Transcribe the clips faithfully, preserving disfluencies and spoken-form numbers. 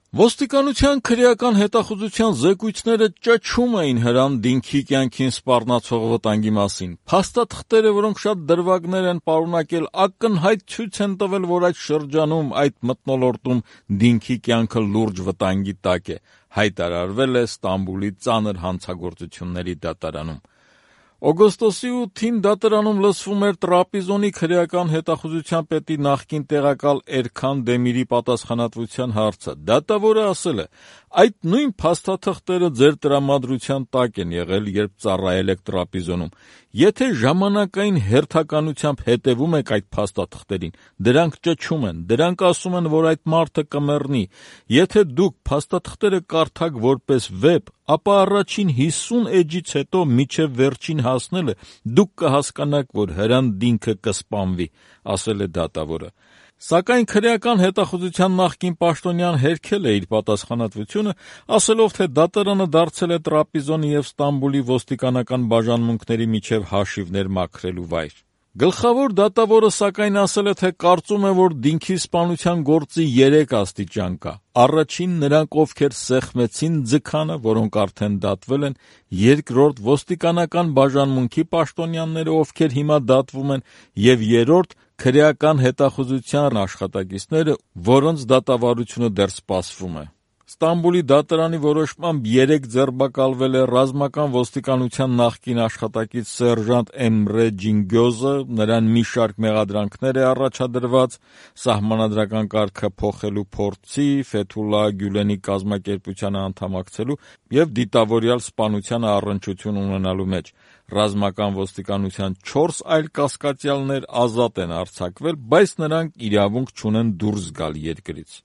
Ոստիկանության քրեական հետախուզության զեկույցները ճչում էին Հրանտ-Դինքի կյանքին սպառնացող վտանգի մասին։ Փաստաթղթերը, որոնք շատ դրվագներ են պարունակել, ակնհայտ ցույց են տվել, որ այդ շրջանում, այդ մթնոլորտում Դինքի կյանքը լուրջ վտանգի տակ է, հայտարարվել է Ստամբուլի ծանր հանցագործությունների դատարանում։ Օգոստոսի ութին դատարանում լսվում էր Տրապիզոնի քրեական հետախուզության պետի նախկին տեղակալ Էրքան Դեմիրի պատասխանատվության հարցը։ Դատավորը ասել է. «Այդ նույն փաստաթղթերը ձեր տրամադրության տակ են եղել, երբ ծառայել եք Տրապիզոնում։ Եթե ժամանակային հերթականությամբ հետևում եք այդ փաստաթղթերին, դրանք ճչում են, դրանք ասում են, որ այդ մարդը կմեռնի։ Եթե դուք փաստաթղթերը կարդաք որպես վեպ, ապա առաջին հիսուն էջից հետո մինչև վերջին հասնելը դուք կհասկանաք, որ Հրանտ Դինքը կսպանվի», ասել է դատավորը։ Սակայն քրեական հետախուզության նախկին պաշտոնյան հերքել է իր պատասխանատվությունը, ասելով, թե դատարանը դարձել է Տրապիզոնի և Ստամբուլի ոստիկանական բաժանմունքների միջև հաշիվներ մաքրելու վայր։ Գլխավոր դատավորը սակայն ասել է, թե կարծում է, որ Դինքի սպանության գործի երեք աստիճան կա։ Առաջին՝ նրանք, ովքեր սեղմեցին ձգանը, որոնք արդեն դատվել են, երկրորդ՝ ոստիկանական բաժանմունքի պաշտոնյաները, ովքեր հիմա դատվում են, և երրորդ՝ քրեական հետախուզության աշխատակիցները, որոնց դատավարությունը դեռ սպասվում է։ Ստամբուլի դատարանի որոշմամբ երեկ ձերբակալվել է ռազմական ոստիկանության նախկին աշխատակից սերժանտ Էմրե Ջինգյոզը, նրան մի շարք մեղադրանքներ է առաջադրված սահմանադրական կարգը փոխելու փորձի, Ֆեթուլլահ Գյուլենի կազմակերպությանը անդամակցելու և դիտավորյալ սպանությանը առնչություն ունենալու մեջ։ Ռազմական ոստիկանության չորս այլ կասկածյալներ ազատ են արձակվել, բայց նրանք իրավունք չունեն դուրս գալ երկրից։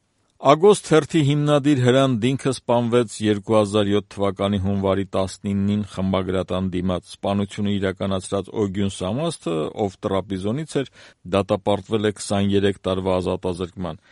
Ագոստ թերթի հիմնադիր Հրանտ Դինքը սպանվեց երկու հազար յոթ թվականի հունվարի տասնինին խմբագրատան դիմաց։ Սպանությունը իրականացրած Օգյուն Սամասթը, ով Տրապիզոնից էր, դատապարտվել է քսաներեք տարվա ազատազրկման։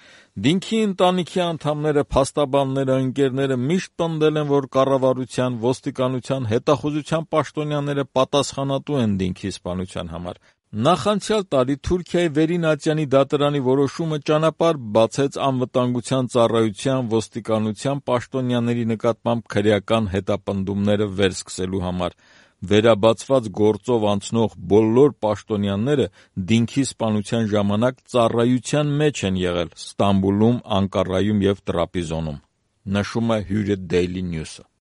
Դինքի ընտանիքի անդամները, փաստաբանները, ընկերները միշտ պնդել են, որ կառավարության, ոստիկանության, հետախուզության պաշտոնյաները պատասխանատու են Դինքի սպանության համար։ Նախանցյալ տարի Թուրքիայի Վերին ատյանի դատարանի որոշումը ճանապարհ բացեց անվտանգության ծառայության, ոստիկանության պաշտոնյաների նկատմամբ քրեական հետապնդումները վերսկսելու համար։ Վերաբացված գործով անցնող բոլոր պաշտոնյաները Դինքի սպանության ժամանակ ծառայության մեջ են եղել Ստամբուլում, Անկարայում և Տրապիզոնում, նշում է հյուրը Daily News-ը։